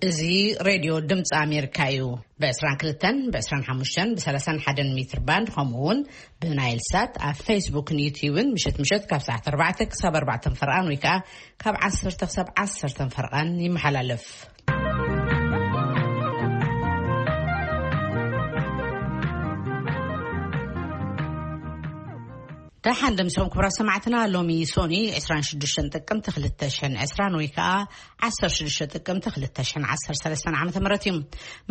እዚ ሬድዮ ድምፂ ኣሜሪካ እዩ። ብ22፣ ብ25፣ ብ31 ሜትር ባንድ፣ ከምኡ እውን ብናይል ሳት ኣብ ፌስቡክን ዩትዩብን ምሸት ምሸት ካብ ሰዓት ኣርባዕተ ክሳብ ኣርባዕተ ፈርቓን ወይ ከዓ ካብ ዓሰርተ ክሳብ ዓሰርተ ፈርቓን ይመሓላለፍ። ደሓን ደምሲኹም ክቡራት ሰማዕትና። ሎሚ ሶኒ ዕስራን ሽዱሽተን ጥቅምቲ ክልተ ሽሕን ዕስራን ወይ ከዓ ዓሰርተ ሽዱሽተ ጥቅምቲ ክልተ ሽሕን ዓሰርተ ሰለስተን ዓመተ ምህረት እዩ።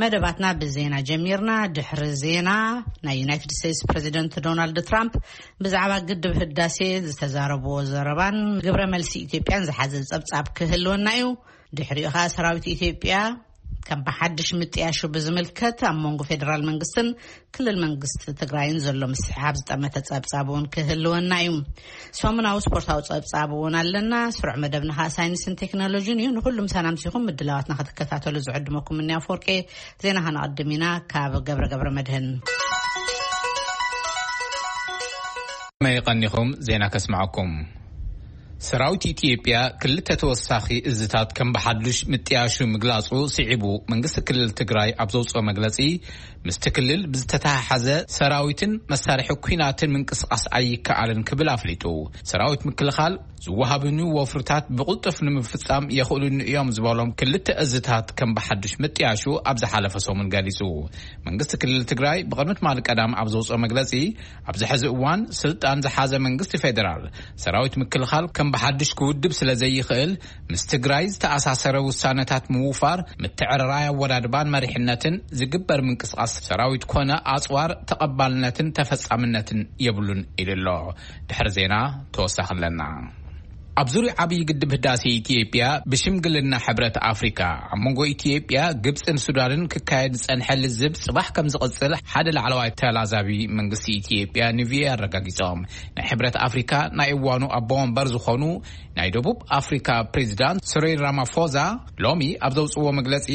መደባትና ብዜና ጀሚርና። ድሕሪ ዜና፣ ናይ ዩናይትድ ስቴትስ ፕሬዚደንት ዶናልድ ትራምፕ ብዛዕባ ግድብ ህዳሴ ዝተዛረብዎ ዘረባን ግብረ መልሲ ኢትዮጵያን ዝሓዘ ጸብጻብ ክህልወና እዩ። ድሕሪኡ ኸኣ ሰራዊት ኢትዮጵያ ከም ብሓድሽ ምጥያሹ ብዝምልከት ኣብ መንጎ ፌደራል መንግስትን ክልል መንግስቲ ትግራይን ዘሎ ምስሕሓብ ዝጠመተ ጸብጻብ እውን ክህልወና እዩ። ሰሙናዊ ስፖርታዊ ጸብጻብ እውን ኣለና። ስሩዕ መደብና ኸኣ ሳይንስን ቴክኖሎጂን እዩ። ንኹሉ ምሳና ምሲኹም ምድላዋትና ክትከታተሉ ዝዕድመኩም እኒ ኣፈወርቄ። ዜና ከነቐድም ኢና ካብ ገብረ ገብረ መድህን። መይ ቀኒኹም ዜና ከስምዐኩም። ሰራዊት ኢትዮጵያ ክልተ ተወሳኺ እዝታት ከም ብሓዱሽ ምጥያሹ ምግላጹ ስዒቡ፣ መንግስቲ ክልል ትግራይ ኣብ ዘውፅኦ መግለጺ፣ ምስቲ ክልል ብዝተተሓሓዘ ሰራዊትን መሳርሒ ኲናትን ምንቅስቓስ ኣይከኣልን ክብል ኣፍሊጡ። ሰራዊት ምክልኻል ዝወሃብኒ ወፍርታት ብቕልጡፍ ንምፍጻም የኽእሉኒ እዮም ዝበሎም ክልተ እዝታት ከም ብሓዱሽ ምጥያሹ ኣብ ዝሓለፈ ሰሙን ገሊጹ። መንግስቲ ክልል ትግራይ ብቕድሚ ትማሊ ቀዳም ኣብ ዘውፅኦ መግለጺ፣ ኣብዚ ሕዚ እዋን ስልጣን ዝሓዘ መንግስቲ ፌደራል ሰራዊት ምክልኻል ከም ብሓድሽ ክውድብ ስለ ዘይኽእል፣ ምስ ትግራይ ዝተኣሳሰረ ውሳነታት ምውፋር፣ ምትዕርራይ ኣወዳድባን መሪሕነትን ዝግበር ምንቅስቓስ ሰራዊት ኮነ ኣጽዋር ተቐባልነትን ተፈጻምነትን የብሉን ኢሉ ኣሎ። ድሕሪ ዜና ተወሳኺ ኣለና። ኣብ ዙርያ ዓብዪ ግድብ ህዳሴ ኢትዮጵያ ብሽምግልና ሕብረት ኣፍሪካ ኣብ መንጎ ኢትዮጵያ፣ ግብፅን ሱዳንን ክካየድ ዝፀንሐ ልዝብ ፅባሕ ከም ዝቕፅል ሓደ ላዕለዋይ ተላዛቢ መንግስቲ ኢትዮጵያ ንቪኦኤ ኣረጋጊፆም። ናይ ሕብረት ኣፍሪካ ናይ እዋኑ ኣቦ ወንበር ዝኾኑ ናይ ደቡብ ኣፍሪካ ፕሬዚዳንት ስሪል ራማፎዛ ሎሚ ኣብ ዘውፅዎ መግለፂ፣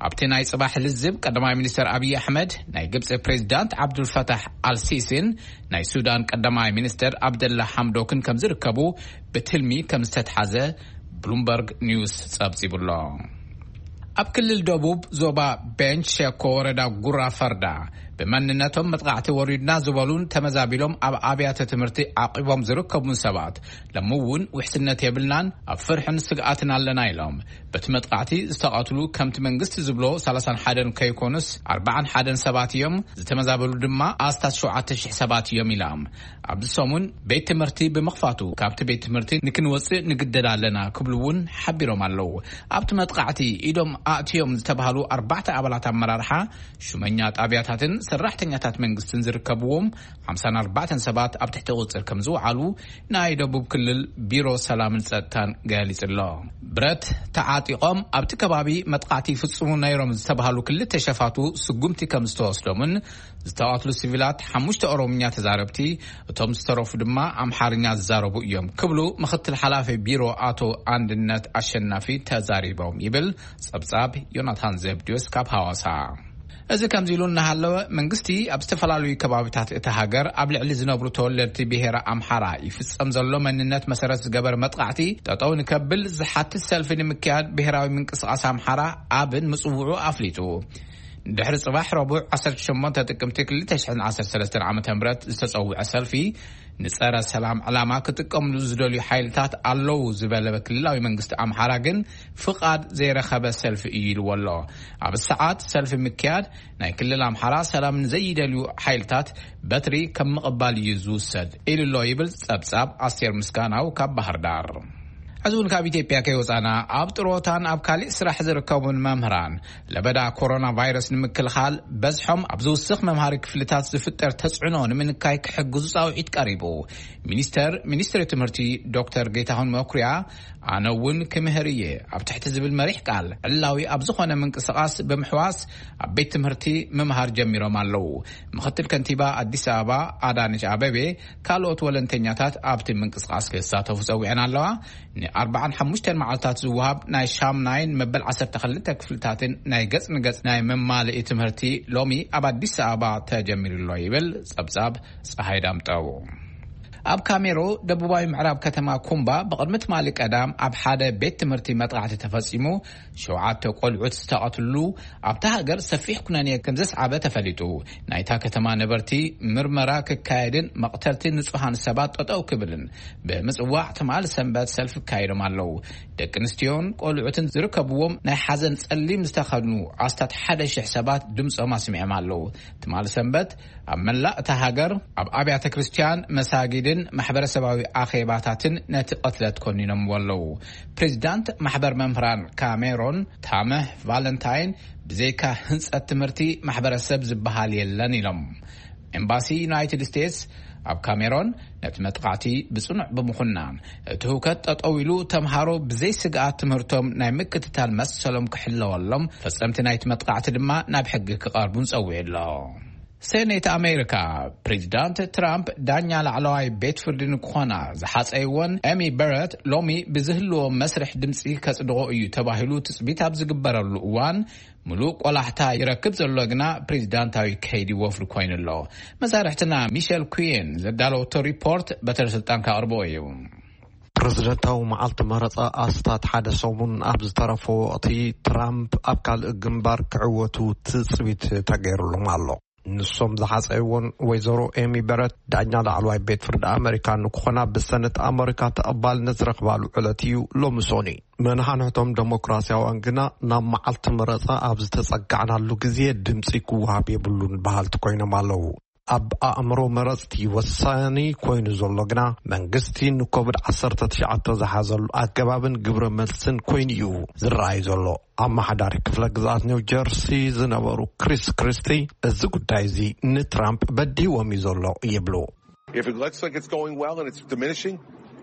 ኣብቲ ናይ ፅባሕ ልዝብ ቀዳማይ ሚኒስተር ኣብይ ኣሕመድ፣ ናይ ግብፂ ፕሬዚዳንት ዓብዱልፈታሕ ኣልሲሲን ናይ ሱዳን ቀዳማይ ሚኒስተር ኣብደላ ሓምዶክን ከም ዝርከቡ ብትልሚ ከም ዝተትሓዘ ብሉምበርግ ኒውስ ጸብጺቡ ኣሎ። ኣብ ክልል ደቡብ ዞባ ቤንች ሸኮ ወረዳ ጉራ ፈርዳ ብመንነቶም መጥቃዕቲ ወሪድና ዝበሉን ተመዛቢሎም ኣብ ኣብያተ ትምህርቲ ዓቂቦም ዝርከቡን ሰባት ሎሚ እውን ውሕስነት የብልናን ኣብ ፍርሕን ስግኣትን ኣለና ኢሎም። በቲ መጥቃዕቲ ዝተቐትሉ ከምቲ መንግስቲ ዝብሎ ሰላሳን ሓደን ከይኮኑስ ኣርባዓን ሓደን ሰባት እዮም። ዝተመዛበሉ ድማ ኣስታት ሸውዓተ ሽሕ ሰባት እዮም ኢሎም። ኣብዚ ሰሙን ቤት ትምህርቲ ብምኽፋቱ ካብቲ ቤት ትምህርቲ ንክንወፅእ ንግደድ ኣለና ክብሉ እውን ሓቢሮም ኣለዉ። ኣብቲ መጥቃዕቲ ኢዶም ኣእትዮም ዝተባህሉ ኣርባዕተ ኣባላት ኣመራርሓ፣ ሹመኛ ጣብያታትን ሰራሕተኛታት መንግስትን ዝርከብዎም ሓምሳን ኣርባዕተን ሰባት ኣብ ትሕቲ ቁፅር ከም ዝወዓሉ ናይ ደቡብ ክልል ቢሮ ሰላምን ጸጥታን ገሊጹ ኣሎ። ብረት ተዓጢቖም ኣብቲ ከባቢ መጥቃዕቲ ይፍጽሙ ነይሮም ዝተባህሉ ክልተ ሸፋቱ ስጉምቲ ከም ዝተወስዶምን ዝተቐትሉ ሲቪላት ሓሙሽተ ኦሮምኛ ተዛረብቲ፣ እቶም ዝተረፉ ድማ ኣምሓርኛ ዝዛረቡ እዮም ክብሉ ምኽትል ሓላፊ ቢሮ ኣቶ ኣንድነት ኣሸናፊ ተዛሪቦም ይብል ጸብጻብ ዮናታን ዘብድዮስ ካብ ሃዋሳ። እዚ ከምዚ ኢሉ እናሃለወ፣ መንግስቲ ኣብ ዝተፈላለዩ ከባቢታት እታ ሃገር ኣብ ልዕሊ ዝነብሩ ተወለድቲ ብሄረ ኣምሓራ ይፍጸም ዘሎ መንነት መሰረት ዝገበረ መጥቃዕቲ ጠጠው ንከብል ዝሓትት ሰልፊ ንምክያድ ብሄራዊ ምንቅስቓስ ኣምሓራ ኣብን ምጽውዑ ኣፍሊጡ። ድሕሪ ጽባሕ ረቡዕ ዓሰርተ ሸሞንተ ጥቅምቲ ክልተ ሽሕን ዓሰርተ ሰለስተን ዓመተ ምህረት ዝተጸውዐ ሰልፊ፣ ንጸረ ሰላም ዕላማ ክጥቀምሉ ዝደልዩ ሓይልታት ኣለዉ ዝበለ ክልላዊ መንግስቲ ኣምሓራ ግን ፍቓድ ዘይረኸበ ሰልፊ እዩ ኢልዎ ኣሎ። ኣብ ሰዓት ሰልፊ ምክያድ ናይ ክልል ኣምሓራ ሰላም ንዘይደልዩ ሓይልታት በትሪ ከም ምቕባል እዩ ዝውሰድ ኢሉ ኣሎ ይብል ጸብጻብ ኣስቴር ምስጋናው ካብ ባህር ዳር። ሕዚ እውን ካብ ኢትዮጵያ ከይወጻና፣ ኣብ ጥሮታን ኣብ ካሊእ ስራሕ ዝርከቡን መምህራን ለበዳ ኮሮና ቫይረስ ንምክልኻል በዝሖም ኣብ ዝውስኽ መምሃሪ ክፍልታት ዝፍጠር ተጽዕኖ ንምንካይ ክሕግዙ ጻውዒት ቀሪቡ። ሚኒስተር፣ ሚኒስትሪ ትምህርቲ ዶክተር ጌታሁን መኩሪያ፣ ኣነ እውን ክምህር እየ ኣብ ትሕቲ ዝብል መሪሕ ቃል ዕላዊ ኣብ ዝኾነ ምንቅስቓስ ብምሕዋስ ኣብ ቤት ትምህርቲ ምምሃር ጀሚሮም ኣለዉ። ምኽትል ከንቲባ ኣዲስ ኣበባ ኣዳነች ኣበቤ፣ ካልኦት ወለንተኛታት ኣብቲ ምንቅስቓስ ክሳተፉ ጸዊዐን ኣለዋ። ንኣርባዓን ሓሙሽተን መዓልታት ዝወሃብ ናይ ሻምናይን መበል ዓሰርተ ክልተ ክፍልታትን ናይ ገጽ ንገጽ ናይ መማልኢ ትምህርቲ ሎሚ ኣብ ኣዲስ ኣበባ ተጀሚሩ ኣሎ ይብል ጸብጻብ ጸሃይ ዳምጠው። ኣብ ካሜሮ ደቡባዊ ምዕራብ ከተማ ኩምባ ብቕድሚ ትማሊ ቀዳም ኣብ ሓደ ቤት ትምህርቲ መጥቃዕቲ ተፈጺሙ፣ ሸውዓተ ቆልዑት ዝተቐትሉ፣ ኣብታ ሃገር ሰፊሕ ኩነኔ ከም ዘስዓበ ተፈሊጡ። ናይታ ከተማ ነበርቲ ምርመራ ክካየድን መቕተልቲ ንጹሃን ሰባት ጠጠው ክብልን ብምጽዋዕ ትማል ሰንበት ሰልፊ ካይዶም ኣለዉ። ደቂ ኣንስትዮን ቆልዑትን ዝርከብዎም ናይ ሓዘን ጸሊም ዝተኸድኑ ኣስታት ሓደ ሽሕ ሰባት ድምጾም ኣስሚዖም ኣለዉ። ትማል ሰንበት ኣብ መላእ እታ ሃገር ኣብ ኣብያተ ክርስቲያን፣ መሳጊድን ማሕበረሰባዊ ኣኼባታትን ነቲ ቅትለት ኮኒኖምዎ ኣለዉ። ፕሬዚዳንት ማሕበር መምህራን ካሜሮን ታመህ ቫለንታይን፣ ብዘይካ ህንጸት ትምህርቲ፣ ማሕበረሰብ ዝበሃል የለን ኢሎም። ኤምባሲ ዩናይትድ ስቴትስ ኣብ ካሜሮን ነቲ መጥቃዕቲ ብጽኑዕ ብምኹናን፣ እቲ ህውከት ጠጠው ኢሉ፣ ተምሃሮ ብዘይ ስግኣት ትምህርቶም ናይ ምክትታል መሰሎም ክሕለወሎም፣ ፈጸምቲ ናይቲ መጥቃዕቲ ድማ ናብ ሕጊ ክቐርቡን ጸዊዑ ኣሎ። ሴኔት ኣሜሪካ፣ ፕሬዚዳንት ትራምፕ ዳኛ ላዕለዋይ ቤት ፍርዲ ንክኾና ዝሓጸይወን ኤሚ በረት ሎሚ ብዝህልዎ መስርሕ ድምፂ ከጽድቖ እዩ ተባሂሉ ትጽቢት ኣብ ዝግበረሉ እዋን፣ ምሉእ ቆላሕታ ይረክብ ዘሎ ግና ፕሬዚዳንታዊ ከይዲ ወፍሪ ኮይኑ ኣሎ። መሳርሕትና ሚሸል ኩየን ዘዳለወቶ ሪፖርት በትረ ስልጣን ካቕርቦ እዩ። ፕሬዝደንታዊ መዓልቲ መረፃ ኣስታት ሓደ ሰሙን ኣብ ዝተረፎ ወቕቲ፣ ትራምፕ ኣብ ካልእ ግንባር ክዕወቱ ትፅቢት ተገይሩሎም ኣሎ። ንሶም ዝሓፀይዎን ወይዘሮ ኤሚ በረት ዳኛ ላዕለዋይ ቤት ፍርዲ ኣመሪካ ንክኾና ብሰነት ኣመሪካ ተቐባልነት ዝረኽባሉ ዕለት እዩ ሎሚ ሶኒ። መናሕንሕቶም ደሞክራሲያውያን ግና ናብ መዓልቲ መረፃ ኣብ ዝተፀጋዕናሉ ግዜ ድምፂ ክወሃብ የብሉን በሃልቲ ኮይኖም ኣለዉ። ኣብ ኣእምሮ መረፅቲ ወሳኒ ኮይኑ ዘሎ ግና መንግስቲ ንኮቪድ ዓሰርተ ትሽዓተ ዝሓዘሉ ኣገባብን ግብረ መልስን ኮይኑ እዩ ዝረኣይ ዘሎ። ኣመሓዳሪ ክፍለ ግዝኣት ኒው ጀርሲ ዝነበሩ ክሪስ ክሪስቲ፣ እዚ ጉዳይ እዚ ንትራምፕ በዲዎም እዩ ዘሎ ይብሉ። If it looks like it's going well and it's diminishing,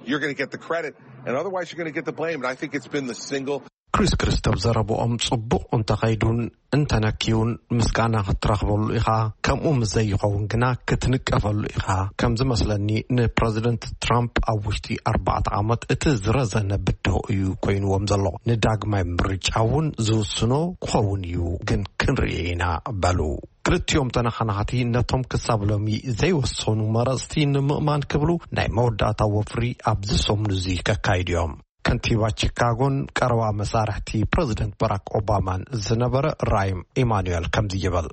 you're going to get the credit, and otherwise you're going to get the blame. And I think it's been the single ክሪስ ክሪስቲ ኣብ ዘረብኦም፣ ጽቡቕ እንተኸይዱን እንተነክዩን ምስጋና ክትረኽበሉ ኢኻ፣ ከምኡ ምስ ዘይኸውን ግና ክትንቀፈሉ ኢኻ። ከም ዝመስለኒ ንፕረዚደንት ትራምፕ ኣብ ውሽጢ ኣርባዕተ ዓመት እቲ ዝረዘነ ብድሆ እዩ ኮይንዎም ዘሎ። ንዳግማይ ምርጫ እውን ዝውስኖ ክኸውን እዩ፣ ግን ክንርኢ ኢና በሉ። ክልቲኦም ተነኻናኻቲ ነቶም ክሳብ ሎሚ ዘይወሰኑ መረፅቲ ንምእማን ክብሉ ናይ መወዳእታ ወፍሪ ኣብዚ ሰሙን እዚ ከካይዱ እዮም። ከንቲባ ቺካጎን ቀረባ መሳርሕቲ ፕረዚደንት ባራክ ኦባማን ዝነበረ ራይም ኢማኑኤል ከምዚ ይብል።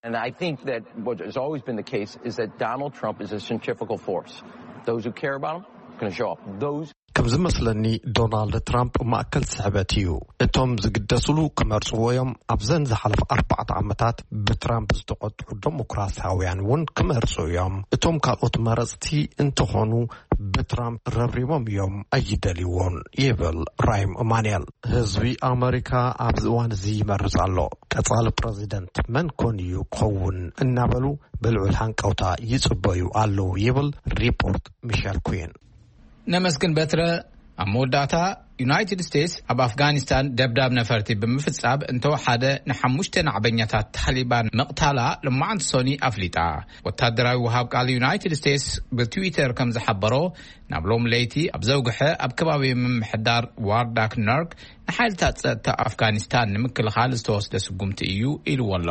And I think that what has always been the case is that Donald Trump is a centrifugal force. Those who care about him are going to show up. Those ከም ዝመስለኒ ዶናልድ ትራምፕ ማእከል ስሕበት እዩ። እቶም ዝግደስሉ ክመርጽዎ እዮም። ኣብዘን ዝሓለፈ ኣርባዕተ ዓመታት ብትራምፕ ዝተቖጥዑ ደሞክራሲያውያን እውን ክመርጹ እዮም። እቶም ካልኦት መረጽቲ እንተኾኑ ብትራምፕ ረብሪቦም እዮም፣ ኣይደልይዎን ይብል ራይም እማንኤል። ህዝቢ ኣመሪካ ኣብዚ እዋን እዚ ይመርጽ ኣሎ። ቀጻሊ ፕረዚደንት መን ኮን እዩ ክኸውን እናበሉ ብልዑል ሃንቀውታ ይጽበዩ ኣለዉ ይብል ሪፖርት ሚሸል ኩዊን። ነመስግን በትረ። ኣብ መወዳእታ፣ ዩናይትድ ስቴትስ ኣብ ኣፍጋኒስታን ደብዳብ ነፈርቲ ብምፍጻም እንተወሓደ ንሓሙሽተ ናዕበኛታት ታሊባን ምቕታላ ልማዓንቲ ሶኒ ኣፍሊጣ። ወታደራዊ ወሃብ ቃል ዩናይትድ ስቴትስ ብትዊተር ከም ዝሓበሮ፣ ናብ ሎም ለይቲ ኣብ ዘውግሐ ኣብ ከባቢ ምምሕዳር ዋርዳክ ነርክ ንሓይልታት ጸጥታ ኣፍጋኒስታን ንምክልኻል ዝተወስደ ስጉምቲ እዩ ኢልዎ ኣሎ።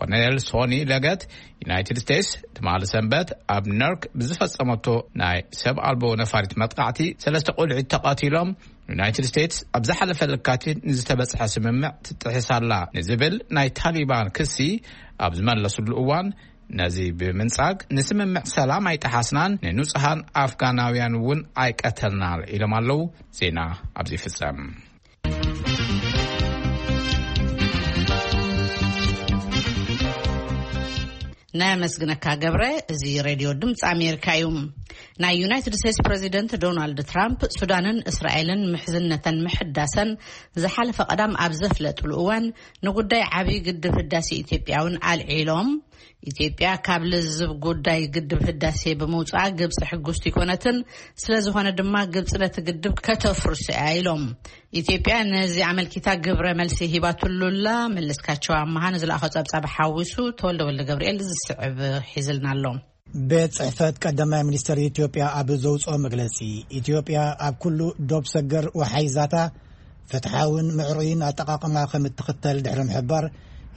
ኮሎኔል ሶኒ ለገት፣ ዩናይትድ ስቴትስ ትማሊ ሰንበት ኣብ ነርክ ብዝፈጸመቶ ናይ ሰብ ኣልቦ ነፋሪት መጥቃዕቲ ሰለስተ ቆልዑት ተቐቲሎም፣ ዩናይትድ ስቴትስ ኣብ ዝሓለፈ ለካቲት ንዝተበጽሐ ስምምዕ ትጥሕስ ኣላ ንዝብል ናይ ታሊባን ክሲ ኣብ ዝመለስሉ እዋን፣ ነዚ ብምንጻግ ንስምምዕ ሰላም ኣይጠሓስናን፣ ንንጹሃን ኣፍጋናውያን እውን ኣይቀተልናን ኢሎም ኣለዉ። ዜና ኣብዚ ይፍጸም። ነመስግነካ ገብረ። እዚ ሬድዮ ድምፂ ኣሜሪካ እዩ። ናይ ዩናይትድ ስቴትስ ፕሬዚደንት ዶናልድ ትራምፕ ሱዳንን እስራኤልን ምሕዝነተን ምሕዳሰን ዝሓለፈ ቀዳም ኣብ ዘፍለጥሉ እዋን፣ ንጉዳይ ዓብዪ ግድብ ህዳሴ ኢትዮጵያ እውን ኣልዒሎም። ኢትዮጵያ ካብ ልዝብ ጉዳይ ግድብ ህዳሴ ብምውፅኣ ግብፂ ሕጉስቲ ኣይኮነትን። ስለዝኾነ ድማ ግብፂ ነቲ ግድብ ከተፍርሶ እያ ኢሎም። ኢትዮጵያ ነዚ ኣመልኪታ ግብረ መልሲ ሂባትሉላ። መለስካቸው ኣመሃ ንዝለኣኾ ጸብጻብ ሓዊሱ ተወልደ ወልደ ገብርኤል ዝስዕብ ሒዝልና ኣሎ። ቤት ጽሕፈት ቀዳማይ ሚኒስተር ኢትዮጵያ ኣብ ዘውጽኦ መግለጺ፣ ኢትዮጵያ ኣብ ኩሉ ዶብ ሰገር ወሓይዛታ ፍትሓውን ምዕሩይን ኣጠቓቕማ ከም እትኽተል ድሕሪ ምሕባር፣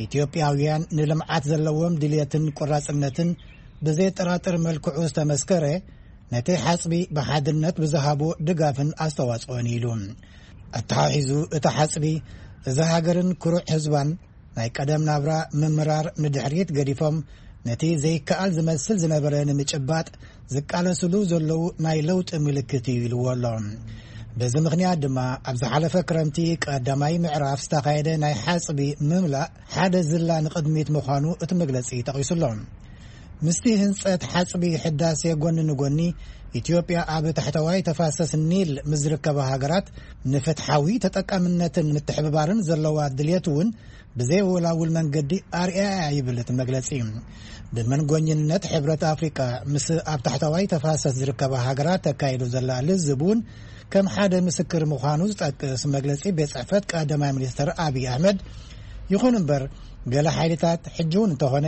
ኢትዮጵያውያን ንልምዓት ዘለዎም ድልየትን ቆራጽነትን ብዘየጠራጥር መልክዑ ዝተመስከረ ነቲ ሓጽቢ ብሓድነት ብዝሃቦ ድጋፍን ኣስተዋጽኦን ኢሉ። ኣተሓሒዙ እቲ ሓጽቢ እዛ ሃገርን ክሩዕ ህዝባን ናይ ቀደም ናብራ ምምራር ንድሕሪት ገዲፎም ነቲ ዘይከኣል ዝመስል ዝነበረ ንምጭባጥ ዝቃለስሉ ዘለዉ ናይ ለውጢ ምልክት እዩ ኢልዎ ኣሎ። በዚ ምኽንያት ድማ ኣብ ዝሓለፈ ክረምቲ ቀዳማይ ምዕራፍ ዝተኻየደ ናይ ሓጽቢ ምምላእ ሓደ ዝላ ንቕድሚት ምዃኑ እቲ መግለጺ ጠቒሱ ኣሎ። ምስቲ ህንጸት ሓጽቢ ሕዳሴ ጎኒ ንጎኒ፣ ኢትዮጵያ ኣብ ታሕተዋይ ተፋሰስ ኒል ምስ ዝርከባ ሃገራት ንፍትሓዊ ተጠቃምነትን ምትሕብባርን ዘለዋ ድልየት እውን ብዘይወላውል መንገዲ ኣርኣያ ይብል እቲ መግለጺ። ብመንጎኝነት ሕብረት ኣፍሪቃ ምስ ኣብ ታሕተዋይ ተፋሰስ ዝርከባ ሃገራት ተካይዶ ዘላ ልዝብ እውን ከም ሓደ ምስክር ምዃኑ ዝጠቅስ መግለጺ ቤት ጽሕፈት ቀዳማይ ሚኒስትር ኣብይ ኣሕመድ፣ ይኹን እምበር ገለ ሓይልታት ሕጂ እውን እንተኾነ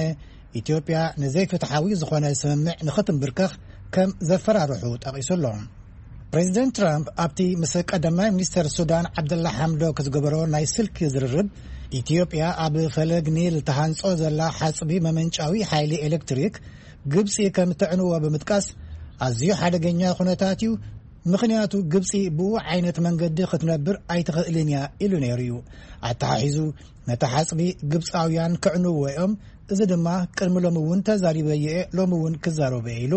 ኢትዮጵያ ንዘይፍትሓዊ ዝኾነ ስምምዕ ንኽትንብርከኽ ከም ዘፈራርሑ ጠቒሱ ኣሎ። ፕሬዚደንት ትራምፕ ኣብቲ ምስ ቀዳማይ ሚኒስተር ሱዳን ዓብደላ ሓምዶክ ዝገበሮ ናይ ስልኪ ዝርርብ፣ ኢትዮጵያ ኣብ ፈለግ ኒል ተሃንጾ ዘላ ሓጽቢ መመንጫዊ ሓይሊ ኤሌክትሪክ ግብጺ ከም ተዕንዎ ብምጥቃስ፣ ኣዝዩ ሓደገኛ ኩነታት እዩ፣ ምኽንያቱ ግብጺ ብኡ ዓይነት መንገዲ ክትነብር ኣይትኽእልን እያ ኢሉ ነይሩ እዩ። ኣተሓሒዙ፣ ነቲ ሓጽቢ ግብጻውያን ከዕንዎ እዮም፣ እዚ ድማ ቅድሚ ሎሚ እውን ተዛሪበዮ እየ፣ ሎሚ እውን ክዛረቦ እየ ኢሉ።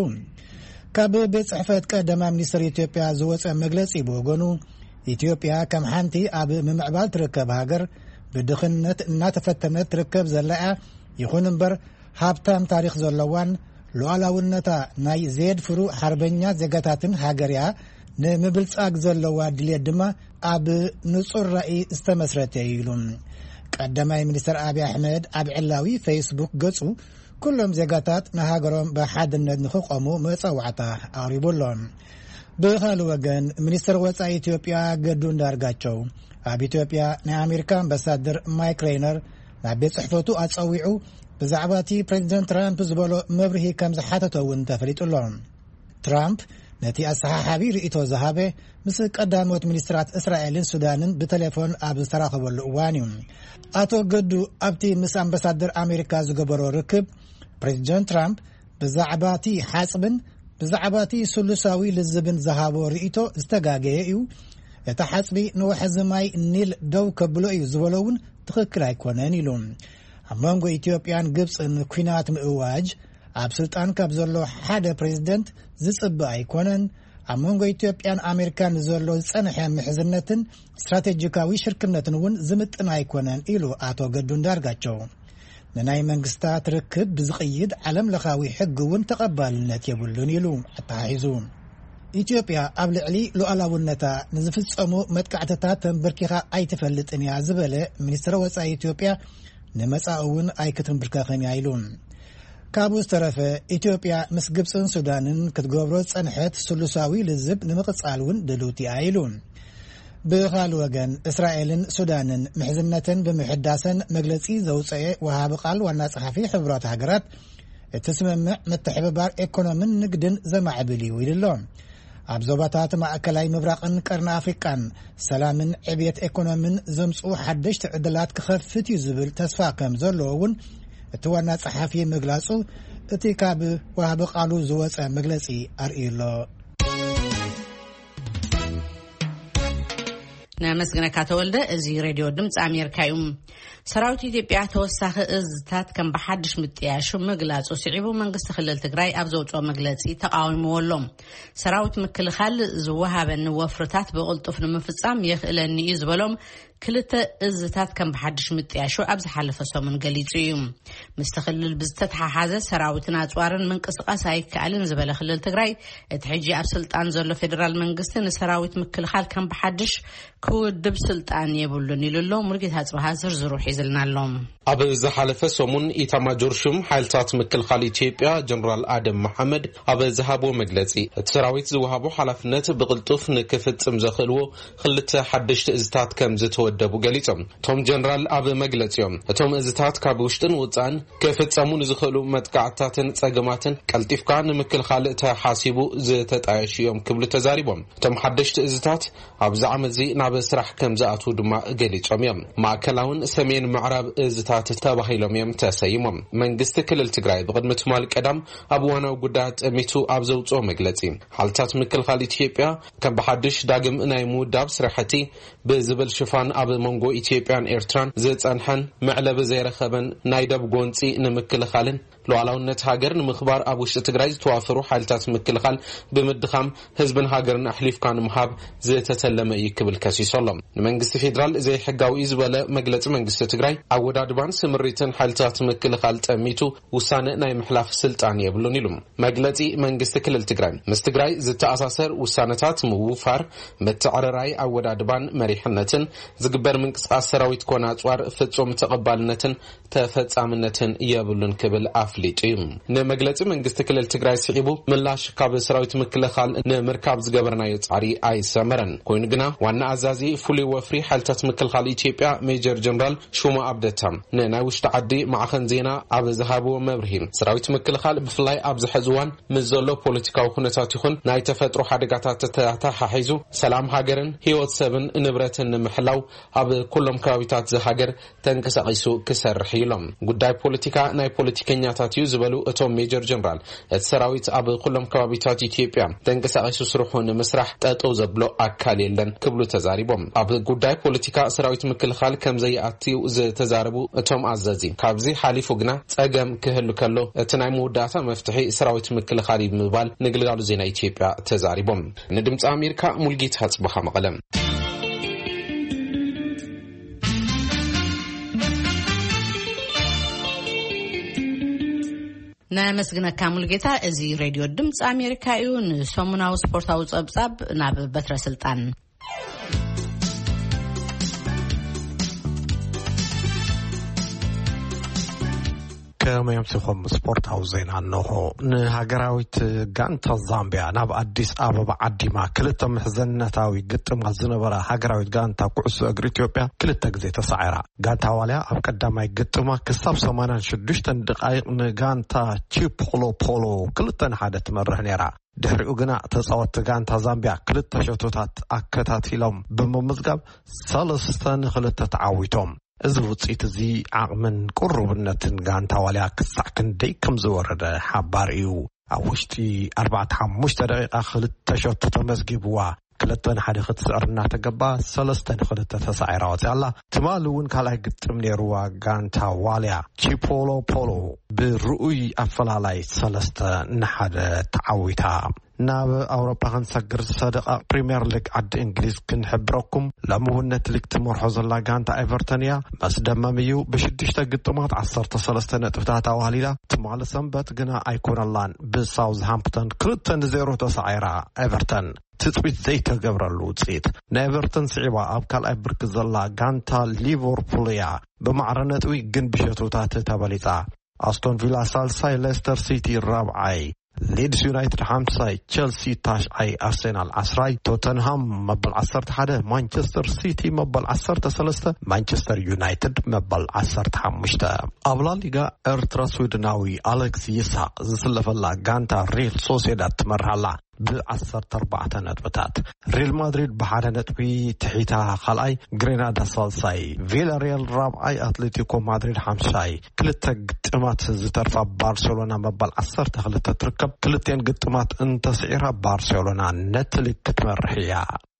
ካብ ቤት ጽሕፈት ቀዳማይ ሚኒስትር ኢትዮጵያ ዝወጸ መግለጺ ብወገኑ፣ ኢትዮጵያ ከም ሓንቲ ኣብ ምምዕባል ትርከብ ሃገር ብድኽነት እናተፈተነት ትርከብ ዘላ እያ። ይኹን እምበር ሃብታም ታሪኽ ዘለዋን ሉዓላውነታ ናይ ዘየድፍሩ ሓርበኛ ዜጋታትን ሃገር እያ። ንምብልጻግ ዘለዋ ድልየት ድማ ኣብ ንጹር ራእይ ዝተመስረተ እዩ ኢሉ። ቀዳማይ ሚኒስትር ኣብይ ኣሕመድ ኣብ ዕላዊ ፌስቡክ ገጹ፣ ኩሎም ዜጋታት ንሃገሮም ብሓድነት ንኽቆሙ መጸዋዕታ ኣቕሪቡ ኣሎ። ብኻልእ ወገን፣ ሚኒስትር ወጻኢ ኢትዮጵያ ገዱ እንዳርጋቸው ኣብ ኢትዮጵያ ናይ ኣሜሪካ ኣምባሳደር ማይክ ሬይነር ናብ ቤት ጽሕፈቱ ኣጸዊዑ ብዛዕባ እቲ ፕሬዚደንት ትራምፕ ዝበሎ መብርሂ ከም ዝሓተቶ እውን ተፈሊጡ ኣሎ። ትራምፕ ነቲ ኣሰሓሓቢ ርእይቶ ዝሃበ ምስ ቀዳሞት ሚኒስትራት እስራኤልን ሱዳንን ብቴሌፎን ኣብ ዝተራኸበሉ እዋን እዩ። ኣቶ ገዱ ኣብቲ ምስ ኣምባሳደር ኣሜሪካ ዝገበሮ ርክብ፣ ፕሬዚደንት ትራምፕ ብዛዕባ እቲ ሓጽብን ብዛዕባ እቲ ስሉሳዊ ልዝብን ዝሃቦ ርእይቶ ዝተጋገየ እዩ። እቲ ሓጽቢ ንወሓዚ ማይ ኒል ደው ከብሎ እዩ ዝበሎ እውን ትኽክል ኣይኮነን ኢሉ። ኣብ መንጎ ኢትዮጵያን ግብጽን ኲናት ምእዋጅ ኣብ ስልጣን ካብ ዘሎ ሓደ ፕሬዚደንት ዝጽበ ኣይኮነን። ኣብ መንጎ ኢትዮጵያን ኣሜሪካን ዘሎ ዝጸንሐ ምሕዝነትን ስትራቴጂካዊ ሽርክነትን እውን ዝምጥን ኣይኮነን ኢሉ ኣቶ ገዱ እንዳርጋቸው። ንናይ መንግስታት ርክብ ብዝቕይድ ዓለም ለኻዊ ሕጊ እውን ተቐባልነት የብሉን ኢሉ ኣተሓሒዙ። ኢትዮጵያ ኣብ ልዕሊ ሉዓላውነታ ንዝፍጸሙ መጥቃዕትታት ተንበርኪኻ ኣይትፈልጥን እያ ዝበለ ሚኒስትር ወጻኢ ኢትዮጵያ፣ ንመጻኢ እውን ኣይክትንብርከኽን እያ ኢሉ። ካብኡ ዝተረፈ፣ ኢትዮጵያ ምስ ግብጽን ሱዳንን ክትገብሮ ዝጸንሐት ስሉሳዊ ልዝብ ንምቕጻል እውን ድልውቲ እያ ኢሉ። ብኻልእ ወገን፣ እስራኤልን ሱዳንን ምሕዝነተን ብምሕዳሰን መግለጺ ዘውጸኤ ወሃቢ ቃል ዋና ጸሓፊ ሕቡራት ሃገራት፣ እቲ ስምምዕ ምትሕብባር ኤኮኖምን ንግድን ዘማዕብል እዩ ኢሉ ኣሎ። ኣብ ዞባታት ማእከላይ ምብራቕን ቀርኒ ኣፍሪቃን ሰላምን ዕብየት ኤኮኖምን ዘምጽኡ ሓደሽቲ ዕድላት ክኸፍት እዩ ዝብል ተስፋ ከም ዘለዎ እውን እቲ ዋና ጸሓፊ ምግላጹ እቲ ካብ ወሃቢ ቃሉ ዝወጸ መግለጺ ኣርእዩ ኣሎ። ነመስግነካ ተወልደ። እዚ ሬድዮ ድምፂ ኣሜሪካ እዩ። ሰራዊት ኢትዮጵያ ተወሳኺ እዝታት ከም ብሓድሽ ምጥያሹ ምግላፁ ስዒቡ መንግስቲ ክልል ትግራይ ኣብ ዘውፅኦ መግለፂ ተቃዊምዎ ኣሎ። ሰራዊት ምክልኻል ዝወሃበኒ ወፍርታት ብቕልጡፍ ንምፍፃም የኽእለኒ እዩ ዝበሎም ክልተ እዝታት ከም ብሓድሽ ምጥያሹ ኣብ ዝሓለፈ ሰሙን ገሊፁ እዩ። ምስቲ ክልል ብዝተተሓሓዘ ሰራዊትን ኣፅዋርን ምንቅስቃስ ኣይከኣልን ዝበለ ክልል ትግራይ፣ እቲ ሕጂ ኣብ ስልጣን ዘሎ ፌደራል መንግስቲ ንሰራዊት ምክልኻል ከም ብሓድሽ ክውድብ ስልጣን የብሉን ኢሉ ኣሎ። ሙሉጌታ ኣጽብሃ ዝርዝሩ ሒዝልና ኣሎ። ኣብ ዝሓለፈ ሰሙን ኢታማጆር ሹም ሓይልታት ምክልኻል ኢትዮጵያ ጀነራል ኣደም መሓመድ ኣብ ዝሃቦ መግለጺ፣ እቲ ሰራዊት ዝወሃቦ ሓላፍነት ብቕልጡፍ ንክፍጽም ዘኽእልዎ ክልተ ሓደሽቲ እዝታት ከም ወደቡ ገሊጾም። እቶም ጀነራል ኣብ መግለጺኦም፣ እቶም እዝታት ካብ ውሽጥን ውጻእን ክፍጸሙ ንዝኽእሉ መጥቃዕትታትን ጸገማትን ቀልጢፍካ ንምክልኻል ተሓሲቡ ዝተጣየሹ እዮም ክብሉ ተዛሪቦም። እቶም ሓደሽቲ እዝታት ኣብዚ ዓመት እዚ ናብ ስራሕ ከም ዝኣትዉ ድማ ገሊጾም እዮም። ማእከላውን ሰሜን ምዕራብ እዝታት ተባሂሎም እዮም ተሰይሞም። መንግስቲ ክልል ትግራይ ብቕድሚ ትማል ቀዳም ኣብ እዋናዊ ጉዳያት ጠሚቱ ኣብ ዘውፅኦ መግለጺ፣ ሓይልታት ምክልኻል ኢትዮጵያ ከም ብሓድሽ ዳግም ናይ ምውዳብ ስራሕቲ ብዝብል ሽፋን ኣብ መንጎ ኢትዮጵያን ኤርትራን ዝጸንሐን መዕለቢ ዘይረኸበን ናይ ደብ ጎንጺ ንምክልኻልን ሉዓላውነት ሃገር ንምኽባር ኣብ ውሽጢ ትግራይ ዝተዋፈሩ ሓይልታት ምክልኻል ብምድኻም ህዝብን ሃገርን ኣሕሊፍካ ንምሃብ ዝተተለመ እዩ ክብል ከሲሱ ኣሎ። ንመንግስቲ ፌዴራል ዘይሕጋዊ እዩ ዝበለ መግለጺ መንግስቲ ትግራይ ኣወዳድባን ስምሪትን ሓይልታት ምክልኻል ጠሚቱ ውሳነ ናይ ምሕላፍ ስልጣን የብሉን ኢሉ። መግለጺ መንግስቲ ክልል ትግራይ ምስ ትግራይ ዝተኣሳሰር ውሳነታት ምውፋር፣ ምትዕርራይ ኣወዳድባን መሪሕነትን ዝግበር ምንቅስቃስ ሰራዊት ኮነ ኣጽዋር ፍጹም ተቐባልነትን ተፈጻምነትን የብሉን ክብል ኣፍሊጡ እዩ። ንመግለጺ መንግስቲ ክልል ትግራይ ስዒቡ ምላሽ ካብ ሰራዊት ምክልኻል ንምርካብ ዝገበርናዮ ጻዕሪ ኣይሰመረን። ኮይኑ ግና ዋና ኣዛዚ ፍሉይ ወፍሪ ሓይልታት ምክልኻል ኢትዮጵያ ሜጀር ጀነራል ሹማ ኣብደታ ንናይ ውሽጢ ዓዲ ማዕኸን ዜና ኣብ ዝሃብዎ መብርሂ፣ ሰራዊት ምክልኻል ብፍላይ ኣብዚ ሕዚ እዋን ምስ ዘሎ ፖለቲካዊ ኩነታት ይኹን ናይ ተፈጥሮ ሓደጋታት ተተሓሒዙ ሰላም ሃገርን ህይወት ሰብን ንብረትን ንምሕላው ኣብ ኩሎም ከባቢታት ዝሃገር ተንቀሳቒሱ ክሰርሕ እዩ ኢሎም። ጉዳይ ፖለቲካ ናይ ፖለቲከኛታት እዩ ዝበሉ እቶም ሜጀር ጀነራል፣ እቲ ሰራዊት ኣብ ኩሎም ከባቢታት ኢትዮጵያ ተንቀሳቒሱ ስርሑ ንምስራሕ ጠጠው ዘብሎ ኣካል የለን ክብሉ ተዛሪቦም። ኣብ ጉዳይ ፖለቲካ ሰራዊት ምክልኻል ከም ዘይኣትዩ ዝተዛረቡ እቶም ኣዘዚ፣ ካብዚ ሓሊፉ ግና ጸገም ክህሉ ከሎ እቲ ናይ መወዳእታ መፍትሒ ሰራዊት ምክልኻል እዩ ብምባል ንግልጋሉ ዜና ኢትዮጵያ ተዛሪቦም። ንድምፂ ኣሜሪካ ሙልጌታ ጽባኻ መቐለ። ነመስግነካ ሙልጌታ። እዚ ሬድዮ ድምፂ ኣሜሪካ እዩ። ንሰሙናዊ ስፖርታዊ ጸብጻብ ናብ በትረ ስልጣን። ከመይ ኣምሲኹም? ስፖርታዊ ዜና እንሆ። ንሃገራዊት ጋንታ ዛምቢያ ናብ ኣዲስ ኣበባ ዓዲማ ክልተ ምሕዝነታዊ ግጥማት ዝነበራ ሃገራዊት ጋንታ ኩዕሶ እግሪ ኢትዮጵያ ክልተ ግዜ ተሳዒራ። ጋንታ ዋልያ ኣብ ቀዳማይ ግጥማ ክሳብ ሰማንያን ሽዱሽተን ደቓይቕ ንጋንታ ቺፖሎፖሎ ክልተ ንሓደ ትመርሕ ነይራ። ድሕሪኡ ግና ተጻወትቲ ጋንታ ዛምቢያ ክልተ ሸቶታት ኣከታቲሎም ብምምዝጋብ ሰለስተ ንክልተ ተዓዊቶም። እዚ ውጽኢት እዚ ዓቕምን ቅሩብነትን ጋንታ ዋልያ ክሳዕ ክንደይ ከም ዝወረደ ሓባር እዩ። ኣብ ውሽጢ ኣርባዕተ ሓሙሽተ ደቂቓ ክልተ ሸቶ ተመዝጊብዋ፣ ክልተ ንሓደ ክትስዕር እናተገባ ሰለስተ ንክልተ ተሳዒራ ወፂኣ ኣላ። ትማሊ እውን ካልኣይ ግጥም ነይርዋ፣ ጋንታ ዋልያ ቺፖሎፖሎ ብርኡይ ኣፈላላይ ሰለስተ ንሓደ ተዓዊታ። ናብ ኣውሮፓ ክንሰግር ሰደቓ ፕሪምየር ሊግ ዓዲ እንግሊዝ ክንሕብረኩም። ሎሚ እውን ነቲ ሊግ ትመርሖ ዘላ ጋንታ ኤቨርተን እያ። መስደመም እዩ። ብሽዱሽተ ግጥማት ዓሰርተ ሰለስተ ነጥብታት ኣዋህሊላ። ትማሊ ሰንበት ግና ኣይኮነላን። ብሳውዝሃምፕተን ክልተ ንዜሮ ተሳዒራ ኤቨርተን። ትጽቢት ዘይተገብረሉ ውጽኢት። ንኤቨርተን ስዒባ ኣብ ካልኣይ ብርኪ ዘላ ጋንታ ሊቨርፑል እያ። ብማዕረ ነጥቢ ግን ብሸቶታት ተበሊጻ። ኣስቶን ቪላ ሳልሳይ፣ ሌስተር ሲቲ ራብዓይ፣ ሊድስ ዩናይትድ ሓምሳይ፣ ቸልሲ ታሽዓይ፣ ኣርሴናል ዓስራይ፣ ቶተንሃም መበል ዓሰርተ ሓደ፣ ማንቸስተር ሲቲ መበል ዓሰርተ ሰለስተ፣ ማንቸስተር ዩናይትድ መበል ዓሰርተ ሓሙሽተ። ኣብ ላሊጋ ኤርትራ ስዊድናዊ ኣሌክስ ይስሐቅ ዝስለፈላ ጋንታ ሪል ሶሴዳድ ትመርሃላ። ብዓሰርተ ኣርባዕተ ነጥብታት። ሪል ማድሪድ ብሓደ ነጥቢ ትሒታ ካልኣይ፣ ግሬናዳ ሳልሳይ፣ ቪላሪያል ራብዓይ፣ ኣትሌቲኮ ማድሪድ ሓምሻይ። ክልተ ግጥማት ዝተርፋ ባርሴሎና መበል ዓሰርተ ክልተ ትርከብ። ክልቴን ግጥማት እንተስዒራ ባርሴሎና ነቲ ሊግ ክትመርሕ እያ።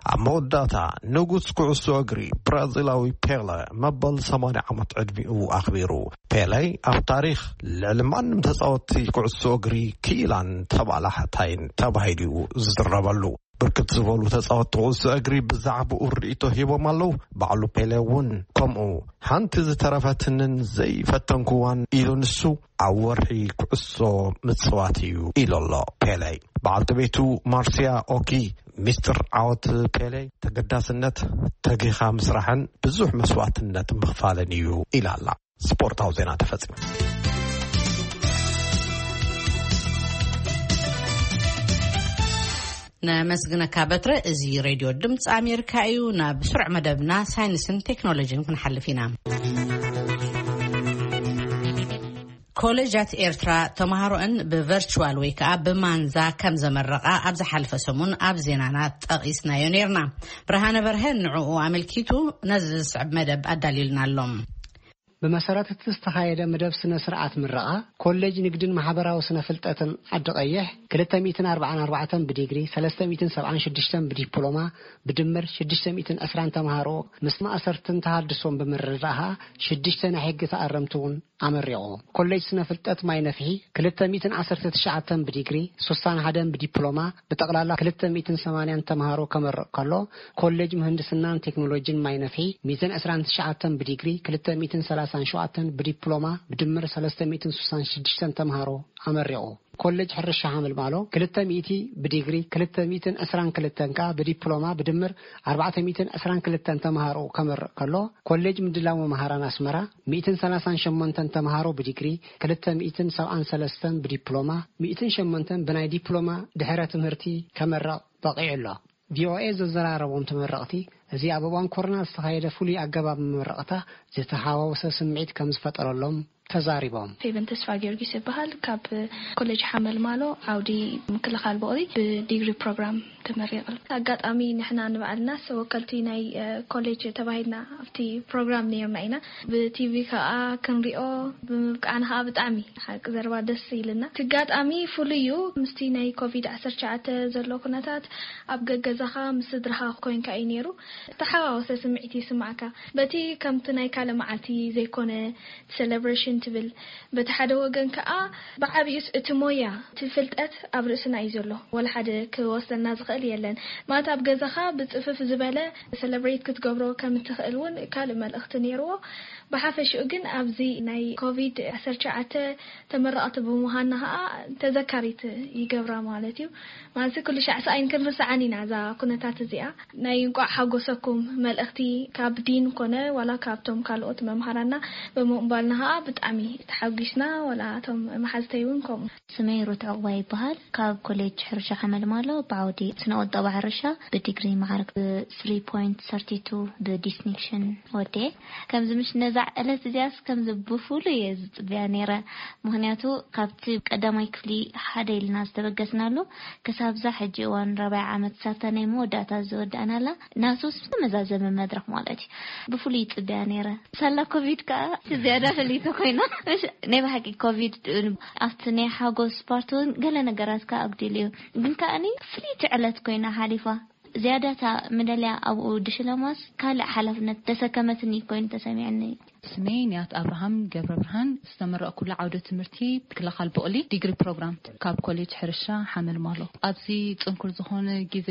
ኣብ መወዳእታ ንጉስ ኩዕሶ እግሪ ብራዚላዊ ፔለ መበል ሰማንያ ዓመት ዕድሚኡ ኣኽቢሩ። ፔለ ኣብ ታሪኽ ልዕሊ ማንም ተጻወቲ ኩዕሶ እግሪ ክኢላን ተባላሕታይን ተባሂሉ እዩ ዝዝረበሉ። ብርክት ዝበሉ ተጻወቲ ኩዕሶ እግሪ ብዛዕባኡ ርእይቶ ሂቦም ኣለዉ። ባዕሉ ፔለ እውን ከምኡ። ሓንቲ ዝተረፈትንን ዘይፈተንኩዋን ኢሉ ንሱ፣ ኣብ ወርሒ ኩዕሶ ምጽዋት እዩ ኢሉ ኣሎ ፔለ። በዓልቲ ቤቱ ማርሲያ ኦኪ፣ ሚስጥር ዓወት ፔሌ ተገዳስነት፣ ተጊኻ ምስራሕን ብዙሕ መስዋእትነት ምኽፋልን እዩ ኢላ ኣላ። ስፖርታዊ ዜና ተፈጺሙ። ነመስግነካ በትረ። እዚ ሬድዮ ድምፂ ኣሜሪካ እዩ። ናብ ስሩዕ መደብና ሳይንስን ቴክኖሎጂን ክንሓልፍ ኢና። ኮሌጃት ኤርትራ ተምሃሮአን ብቨርቹዋል ወይ ከዓ ብማንዛ ከም ዘመረቓ ኣብ ዝሓለፈ ሰሙን ኣብ ዜናና ጠቒስናዮ ነይርና። ብርሃነ በርሀ ንዕኡ ኣመልኪቱ ነዚ ዝስዕብ መደብ ኣዳልዩልና ኣሎ። ብመሰረት እቲ ዝተኻየደ መደብ ስነ ስርዓት ምረቓ፣ ኮሌጅ ንግድን ማሕበራዊ ስነ ፍልጠትን ዓዲ ቀይሕ ክልተ ሚእትን ኣርባዓን ኣርባዕተን ብዲግሪ፣ ሰለስተ ሚእትን ሰብዓን ሽዱሽተን ብዲፕሎማ፣ ብድምር ሽዱሽተ ሚእትን ዕስራን ተምሃሮ ምስ ማእሰርትን ተሃድሶን ብምርድዳእ ሽዱሽተ ናይ ሕጊ ተኣረምቲ እውን ኣመሪቑ። ኮሌጅ ስነ ፍልጠት ማይ ነፍሒ ክልተ ሚእትን ዓሰርተ ትሽዓተን ብዲግሪ፣ ሱሳን ሓደን ብዲፕሎማ፣ ብጠቕላላ ክልተ ሚእትን ሰማንያን ተምሃሮ ከመርቕ ከሎ፣ ኮሌጅ ምህንድስናን ቴክኖሎጂን ማይ ነፍሒ ሚእትን ዕስራን ትሽዓተን ብዲግሪ፣ ክልተ ሚእትን ሰላሳን ሸውዓተን ብዲፕሎማ፣ ብድምር ሰለስተ ሚእትን ሱሳን ሽዱሽተን ተምሃሮ ኣመሪቑ። ኮሌጅ ሕርሻ ሓመልማሎ ክልተ ሚእቲ ብዲግሪ፣ ክልተ ሚእትን ዕስራን ክልተን ከኣ ብዲፕሎማ፣ ብድምር ኣርባዕተ ሚእትን ዕስራን ክልተን ተምሃሮ ከመርቕ ከሎ፣ ኮሌጅ ምድላው መምሃራን ኣስመራ ሚእትን ሰላሳን ሸሞንተን ተምሃሮ ብዲግሪ፣ ክልተ ሚእትን ሰብዓን ሰለስተን ብዲፕሎማ፣ ሚእትን ሸሞንተን ብናይ ዲፕሎማ ድሕረ ትምህርቲ ከመርቕ በቒዑ ኣሎ። ቪኦኤ ዘዘራረቦም ተመረቕቲ፣ እዚ ኣብ እዋን ኮሮና ዝተኻየደ ፍሉይ ኣገባብ መመረቕታ ዝተሓዋወሰ ስምዒት ከም ዝፈጠረሎም ተዛሪቦም። ፌቨን ተስፋ ጊዮርጊስ ይበሃል። ካብ ኮሌጅ ሓመልማሎ ዓውዲ ምክልኻል በቕሊ ብዲግሪ ፕሮግራም ተመሪቐ። ኣጋጣሚ ንሕና ንባዕልና ሰወከልቲ ናይ፣ እ፣ ኮሌጅ ተባሂልና ኣብቲ ፕሮግራም ነይርና ኢና። ብቲቪ ከዓ ክንሪኦ ብምብቃዕና ከዓ ብጣዕሚ ሓቂ ዘረባ ደስ ኢልና። እቲ ኣጋጣሚ ፍሉይ እዩ። ምስቲ ናይ ኮቪድ ዓሰርተ ትሽዓተ ዘሎ ኩነታት ኣብ ገገዛኻ ምስ ስድራኻ ኮይንካ እዩ ነይሩ። ዝተሓዋወሰ ስምዒት ይስማዕካ። በቲ ከምቲ ናይ ካልእ መዓልቲ ዘይኮነ ሴሌብሬሽን ትብል፣ በቲ ሓደ ወገን ከኣ ብዓቢኡስ እቲ ሞያ፣ እቲ ፍልጠት ኣብ ርእስና እዩ ዘሎ። ወላ ሓደ ክወስደልና ዝኽእል የለን። ማለት ኣብ ገዛኻ ብጽፍፍ ዝበለ ሴሌብሬት ክትገብሮ ከም እትኽእል እውን ካልእ መልእኽቲ ነይርዎ። ብሓፈሽኡ ግን ኣብዚ ናይ ኮቪድ ዓሰርተ ትሽዓተ ተመረቕቲ ብምዃንና ከኣ ተዘካሪት ይገብራ ማለት እዩ። ማለት ኩሉ ሻዕ ሰኣይን ክንርስዓን ኢና እዛ ኩነታት እዚኣ። ናይ እንቋዕ ሓጎሰኩም መልእኽቲ ካብ ዲን ኮነ ዋላ ካብቶም ካልኦት መምሃራና ብምቕባልና ከኣ ብጣዕሚ ተሓጒስና፣ ዋላ እቶም መሓዝተይ እውን ከምኡ። ስመይ ሩት ዕቑባ ይበሃል። ካብ ኮሌጅ ሕርሻ ሓመልማሎ ብዓውዲ ስነ ቁጠባ ሕርሻ ብዲግሪ መዓርግ ብ ስሪ ፖይንት ሰርቲ ቱ ብዲስቲንክሽን ወዲኤ። ከምዚ ምሽ ነዛ ዕለት እዚኣስ ከምዚ ብፍሉይ እየ ዝጽበያ ነይረ። ምኽንያቱ ካብቲ ቀዳማይ ክፍሊ ሓደ ኢልና ዝተበገስናሉ ክሳብዛ ሕጂ እዋን ራብዓይ ዓመት ሳብታ ናይ መወዳእታ ዝወዳእናላ ናቱስ ዝተመዛዘመ መድረኽ ማለት እዩ። ብፍሉይ ይጽበያ ነይረ። ሳላ ኮቪድ ከኣ እቲ ዝያዳ ፍልይቲ ኮይና። እሺ፣ ናይ ብሓቂ ኮቪድ ኣብቲ ናይ ሓጎስ ፓርት እውን ገለ ነገራት ከኣ ኣጉዲሉ እዩ። ግን ከኣኒ ፍልይቲ ዕለት ኮይና ሓሊፋ። ዝያዳታ ምደልያ ኣብኡ ድሽለማስ ካልእ ሓላፍነት ተሰከመትኒ ኮይኑ ተሰሚዕኒ። ስመይ ንያት ኣብርሃም ገብረ ብርሃን፣ ዝተመረቕኩሉ ዓውደ ትምህርቲ ምክልኻል ብቕሊ ዲግሪ ፕሮግራም ካብ ኮሌጅ ሕርሻ ሓመልማሎ። ኣብዚ ጽንኩር ዝኾነ ግዜ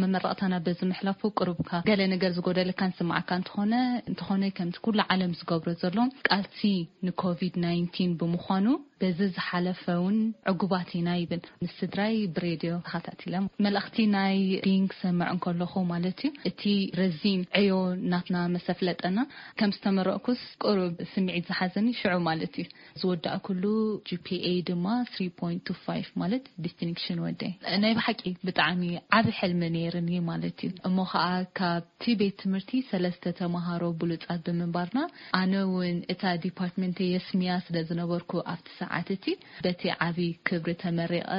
መመረቕታና በዚ ምሕላፉ ቅሩብካ ገለ ነገር ዝጎደለካ ንስምዓካ እንተኾነ፣ እንተኾነ ከምቲ ኩሉ ዓለም ዝገብሮ ዘሎ ቃልሲ ንኮቪድ ናይንቲን ብምዃኑ በዚ ዝሓለፈ እውን ዕጉባት ኢና ይብል። ምስ ስድራይ ብሬድዮ ተኸታቲለ። መልእኽቲ ናይ ዲን ክሰምዕ እንከለኹ ማለት እዩ፣ እቲ ረዚን ዕዮ ናትና መሰፍለጠና ከም ዝተመረቕኩስ ቅሩብ ስምዒት ዝሓዘኒ ሽዑ ማለት እዩ። ዝወዳእኩሉ ጂ ፒ ኤ ድማ ስሪ ፖይንት ቱ ፋይቭ ማለት ዲስቲንክሽን ወደይ። ናይ ብሓቂ ብጣዕሚ ዓቢ ሕልሚ ነይርኒ ማለት እዩ። እሞ ኸኣ ካብ እቲ ቤት ትምህርቲ ሰለስተ ተምሃሮ ብሉጻት ብምንባርና፣ ኣነ እውን እታ ዲፓርትመንተይ የስምያ ስለ ዝነበርኩ ኣብቲ ሰዓት እቲ በቲ ዓቢ ክብሪ ተመሪቐ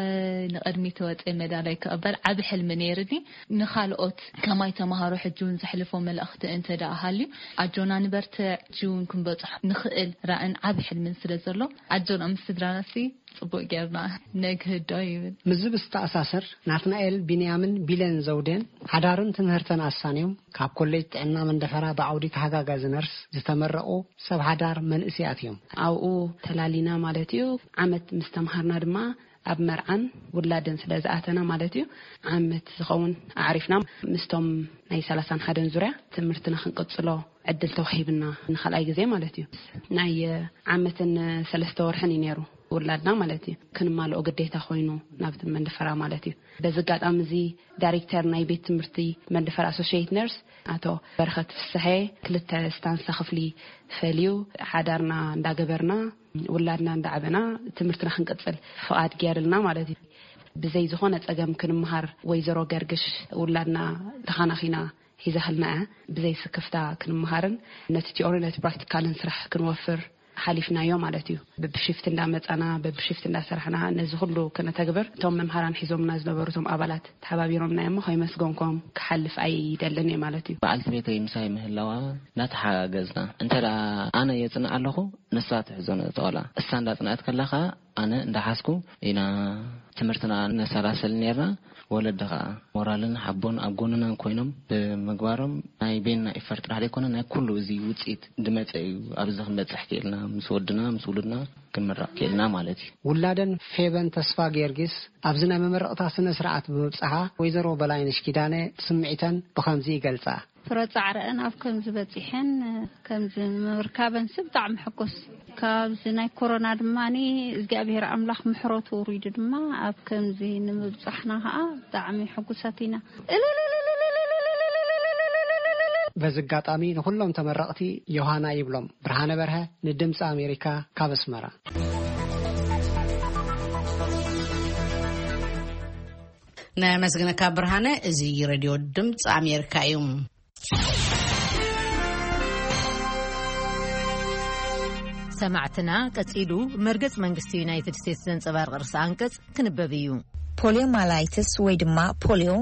ንቕድሚት ወጺኤ መዳላይ ክቕበል ዓቢ ሕልሚ ነይርኒ። ንኻልኦት ከማይ ተምሃሮ ሕጂ እውን ዘሕልፎ መልእኽቲ እንተ ደኣ ሃልዩ፣ ኣጆና ንበርትዕ፣ ሕጂ እውን ክንበጽሖ ንኽእል ራእን ዓቢ ሕልምን ስለ ዘሎ፣ ኣጆና ምስ ስድራናሲ ጽቡቕ ጌርና ነግህዶ ይብል። ምስዚ ብዝተኣሳሰር ናትናኤል ቢንያምን ቢለን ዘውዴን ሓዳርን ትምህርተን ኣሳንዮም ካብ ኮሌጅ ጥዕና መንደፈራ ብዓውዲ ተሓጋጋዚ ነርስ ዝተመረቑ ሰብ ሓዳር መንእሰያት እዮም። ኣብኡ ተላሊና ማለት እዩ። ዓመት ምስ ተምሃርና ድማ ኣብ መርዓን ውላድን ስለ ዝኣተና ማለት እዩ፣ ዓመት ዝኸውን ኣዕሪፍና። ምስቶም ናይ ሰላሳን ሓደን ዙርያ ትምህርትና ክንቅጽሎ ዕድል ተዋሂብና ንኻልኣይ ግዜ ማለት እዩ። ናይ ዓመትን ሰለስተ ወርሕን እዩ ነይሩ ውላድና ማለት እዩ። ክንማልኦ ግዴታ ኮይኑ ናብቲ መንደፈራ ማለት እዩ። በዚ ኣጋጣሚ እዚ ዳይሬክተር ናይ ቤት ትምህርቲ መንደፈራ ኣሶሽየት ነርስ ኣቶ በረኸት ፍስሐ ክልተ ስታንሳ ክፍሊ ፈልዩ ሓዳርና እንዳገበርና ውላድና እንዳዓበና ትምህርትና ክንቅጽል ፍቓድ ገይርልና ማለት እዩ። ብዘይ ዝኾነ ጸገም ክንምሃር። ወይዘሮ ገርግሽ ውላድና ተኻናኺና ሒዛህልና እያ። ብዘይ ስክፍታ ክንምሃርን ነቲ ቲኦሪ ነቲ ፕራክቲካልን ስራሕ ክንወፍር ሓሊፍናዮ ማለት እዩ። በብሽፍት እንዳመጻና በብሽፍት እንዳሰራሕና ነዚ ኩሉ ክነተግብር እቶም መምሃራን ሒዞምና ዝነበሩ እቶም ኣባላት ተሓባቢሮምና እዮም። ከይመስገንኩም ክሓልፍ ኣይደልን እየ ማለት እዩ። በዓልቲ ቤተይ ምሳይ ምህላዋ እናተሓጋገዝና፣ እንተ ደኣ ኣነ የጽንዕ ኣለኹ፣ ንሳ ትሕዞ ነጠወላ። እሳ እንዳጽንዐት ከላ ኸኣ ኣነ እንዳሓዝኩ ኢና ትምህርትና ነሰላስል ነርና። ወለዲ ኸኣ ሞራልን ሓቦን ኣብ ጎንና ኮይኖም ብምግባሮም ናይ ቤንና ኢፈርት ጥራሕ ዘይኮነ ናይ ኩሉ እዚ ውጽኢት ዝመጸ እዩ። ኣብዚ ክንበጽሕ ክኢልና፣ ምስ ወድና ምስ ውሉድና ክንምረቕ ክኢልና ማለት እዩ። ውላደን ፌበን ተስፋ ጊዮርጊስ ኣብዚ ናይ መመረቕታ ስነ ስርዓት ብምብጽሓ፣ ወይዘሮ በላይነሽ ኪዳነ ስምዒተን ብኸምዚ ይገልጻ። ፍረ ጻዕረአን ኣብ ከምዚ በጺሐን ከምዚ ምርካበን ሲ ብጣዕሚ ሕጉስ። ካብዚ ናይ ኮሮና ድማ እግዚኣብሔር ኣምላኽ ምሕረቱ ውሪዱ ድማ ኣብ ከምዚ ንምብጻሕና ከዓ ብጣዕሚ ሕጉሳት ኢና። በዚ ኣጋጣሚ ንኹሎም ተመረቕቲ ዮሃና ይብሎም። ብርሃነ በርሀ ንድምፂ ኣሜሪካ ካብ ኣስመራ። ነመስግነካ ብርሃነ። እዚ ሬድዮ ድምፂ ኣሜሪካ እዩ። ሰማዕትና፣ ቀጺሉ መርገጽ መንግስቲ ዩናይትድ ስቴትስ ዘንጸባርቕ ርእሰ ኣንቀጽ ክንበብ እዩ። ፖሊዮማላይትስ ወይ ድማ ፖሊዮ፣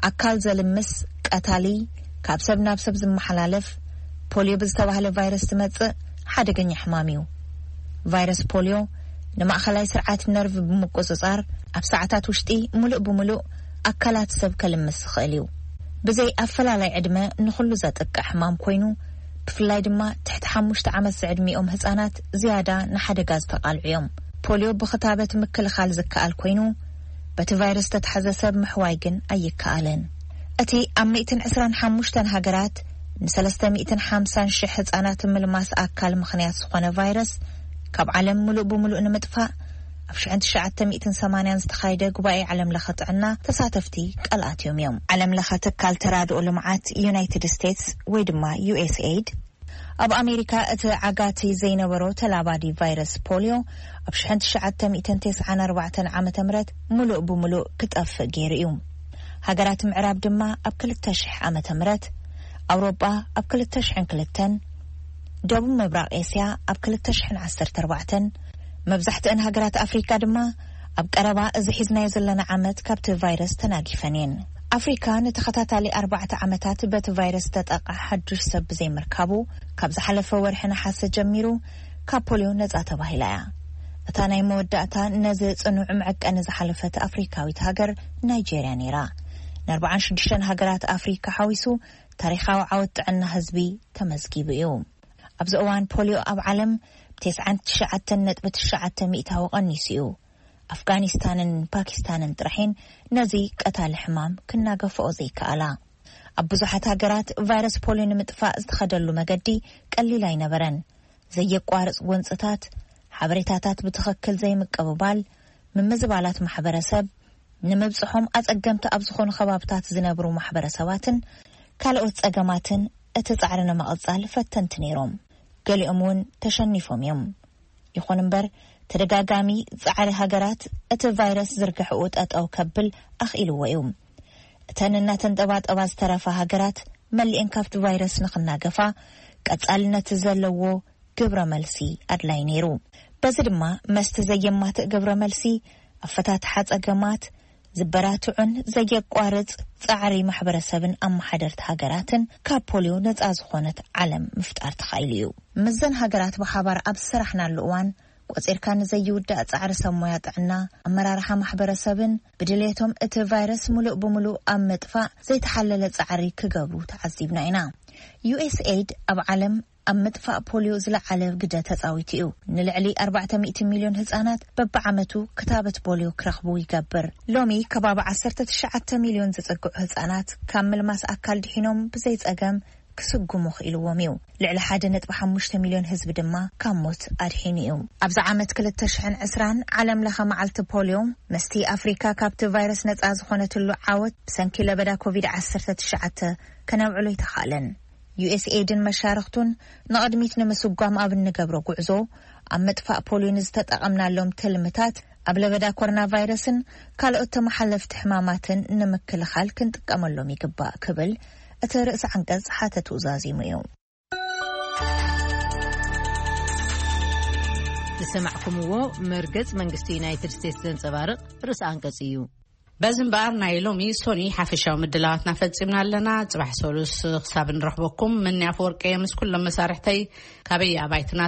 ኣካል ዘልምስ፣ ቀታሊ፣ ካብ ሰብ ናብ ሰብ ዝመሓላለፍ ፖሊዮ ብዝተባህለ ቫይረስ ዝመጽእ ሓደገኛ ሕማም እዩ። ቫይረስ ፖሊዮ ንማእኸላይ ስርዓት ነርቭ ብምቁጽጻር፣ ኣብ ሰዓታት ውሽጢ ምሉእ ብምሉእ ኣካላት ሰብ ከልምስ ዝኽእል እዩ። ብዘይ ኣፈላላይ ዕድመ ንኹሉ ዘጥቅዕ ሕማም ኮይኑ፣ ብፍላይ ድማ ትሕቲ ሓሙሽተ ዓመት ዝዕድሚኦም ህጻናት ዝያዳ ንሓደጋ ዝተቓልዑ እዮም። ፖሊዮ ብኽታበት ምክልኻል ዝከኣል ኮይኑ፣ በቲ ቫይረስ ዝተታሕዘ ሰብ ምሕዋይ ግን ኣይከኣልን። እቲ ኣብ ሚእትን ዕስራን ሓሙሽተን ሃገራት ንሰለስተ ሚእትን ሓምሳን ሽሕ ህጻናት ምልማስ ኣካል ምኽንያት ዝኾነ ቫይረስ፣ ካብ ዓለም ምሉእ ብምሉእ ንምጥፋእ ኣብ ሽሕን ትሽዓተ ሚእትን ሰማንያን ዝተኻየደ ጉባኤ ዓለም ለኸ ጥዕና ተሳተፍቲ ቃል ኣትዮም እዮም። ዓለም ለኸ ትካል ተራድኦ ልምዓት ዩናይትድ ስቴትስ ወይ ድማ ዩ ኤስ ኤይድ፣ ኣብ ኣሜሪካ እቲ ዓጋቲ ዘይነበሮ ተላባዲ ቫይረስ ፖሊዮ ኣብ ሽሕን ትሽዓተ ሚእትን ተስዓን ኣርባዕተን ዓመተ ምህረት ምሉእ ብምሉእ ክጠፍእ ገይሩ እዩ። ሃገራት ምዕራብ ድማ ኣብ ክልተ ሽሕ ዓመተ ምህረት፣ ኣውሮጳ ኣብ ክልተ ሽሕን ክልተን፣ ደቡብ ምብራቕ ኤስያ ኣብ ክልተ ሽሕን ዓሰርተ ኣርባዕተን፣ መብዛሕትአን ሃገራት ኣፍሪካ ድማ ኣብ ቀረባ እዚ ሒዝናዮ ዘለና ዓመት ካብቲ ቫይረስ ተናጊፈን እየን። ኣፍሪካ ንተኸታታሊ ኣርባዕተ ዓመታት በቲ ቫይረስ ዝተጠቕዐ ሓዱሽ ሰብ ብዘይምርካቡ፣ ካብ ዝሓለፈ ወርሒ ነሓሰ ጀሚሩ ካብ ፖሊዮ ነጻ ተባሂላ እያ። እታ ናይ መወዳእታ ነዚ ጽኑዕ መዐቀኒ ዝሓለፈት ኣፍሪካዊት ሃገር ናይጄርያ ነይራ። ንኣርባዓን ሽዱሽተን ሃገራት ኣፍሪካ ሓዊሱ ታሪኻዊ ዓወት ጥዕና ህዝቢ ተመዝጊቡ እዩ። ኣብዚ እዋን ፖሊዮ ኣብ ዓለም ብተስዓን ትሽዓተን ነጥቢ ትሽዓተ ሚእታዊ ቀኒሱ እዩ። ኣፍጋኒስታንን ፓኪስታንን ጥራሕን ነዚ ቀታሊ ሕማም ክናገፍኦ ዘይከኣላ። ኣብ ብዙሓት ሃገራት ቫይረስ ፖሊዮ ንምጥፋእ ዝተኸደሉ መገዲ ቀሊል ኣይነበረን። ዘየቋርጽ ጎንጽታት፣ ሓበሬታታት ብትኽክል ዘይምቅብባል፣ ምምዝባላት ማሕበረሰብ፣ ንምብጽሖም ኣጸገምቲ ኣብ ዝኾኑ ከባብታት ዝነብሩ ማሕበረሰባትን ካልኦት ጸገማትን እቲ ጻዕሪ ንምቕጻል ፈተንቲ ነይሮም። ገሊኦም እውን ተሸኒፎም እዮም። ይኹን እምበር፣ ተደጋጋሚ ጻዕሪ ሃገራት እቲ ቫይረስ ዝርግሕኡ ጠጠው ከብል ኣኽኢልዎ እዩ። እተን እናተንጠባጠባ ዝተረፋ ሃገራት መሊኤን ካብቲ ቫይረስ ንኽናገፋ ቀጻልነት ዘለዎ ግብረ መልሲ ኣድላይ ነይሩ። በዚ ድማ መስቲ ዘየማትእ ግብረ መልሲ፣ ኣፈታትሓ ጸገማት፣ ዝበራትዑን ዘየቋርጽ ጻዕሪ ማሕበረሰብን ኣመሓደርቲ ሃገራትን ካብ ፖሊዮ ነጻ ዝኾነት ዓለም ምፍጣር ተኻኢሉ እዩ። ምስዘን ሃገራት ብሓባር ኣብ ዝሰራሕናሉ እዋን፣ ቆጺርካ ንዘይውዳእ ጻዕሪ ሰብ ሞያ ጥዕና፣ ኣመራርሓ ማሕበረሰብን ብድልየቶም እቲ ቫይረስ ምሉእ ብምሉእ ኣብ ምጥፋእ ዘይተሓለለ ጻዕሪ ክገብሩ ተዓዚብና ኢና። ዩ ኤስ ኤይድ ኣብ ዓለም ኣብ ምጥፋእ ፖሊዮ ዝለዓለ ግደ ተጻዊቱ እዩ። ንልዕሊ ኣርባዕተ ሚእቲ ሚልዮን ህጻናት በብዓመቱ ክታበት ፖሊዮ ክረኽቡ ይገብር። ሎሚ ከባቢ ዓሰርተ ትሽዓተ ሚልዮን ዝጽግዑ ህጻናት ካብ ምልማስ ኣካል ድሒኖም ብዘይ ጸገም ክስጉሙ ክኢልዎም እዩ። ልዕሊ ሓደ ነጥቢ ሓሙሽተ ሚልዮን ህዝቢ ድማ ካብ ሞት ኣድሒኑ እዩ። ኣብዚ ዓመት ክልተ ሽሕን ዕስራን ዓለም ለኸ መዓልቲ ፖሊዮ፣ ምስቲ ኣፍሪካ ካብቲ ቫይረስ ነጻ ዝኾነትሉ ዓወት ብሰንኪ ለበዳ ኮቪድ ዓሰርተ ትሽዓተ ከነብዕሎ ኣይተኻእለን። ዩ ኤስ ኤይድን መሻርኽቱን ንቕድሚት ንምስጓም ኣብ እንገብሮ ጉዕዞ፣ ኣብ ምጥፋእ ፖሊዮ ንዝተጠቐምናሎም ትልምታት ኣብ ለበዳ ኮሮና ቫይረስን ካልኦት ተመሓለፍቲ ሕማማትን ንምክልኻል ክንጥቀመሎም ይግባእ ክብል እቲ ርእሰ ዓንቀጽ ሓተትኡ ዛዚሙ እዩ። ዝሰማዕኩምዎ መርገጽ መንግስቲ ዩናይትድ ስቴትስ ዘንጸባርቕ ርእሰ ኣንቀጽ እዩ። በዚ እምበኣር ናይ ሎሚ ሶኒ ሓፈሻዊ ምድላዋትና ፈጺምና ኣለና። ጽባሕ ሰሉስ ክሳብ ንረኽበኩም፣ ምንያ ኣፈወርቂ ምስ ኩሎም መሳርሕተይ ካበይ ኣባይትና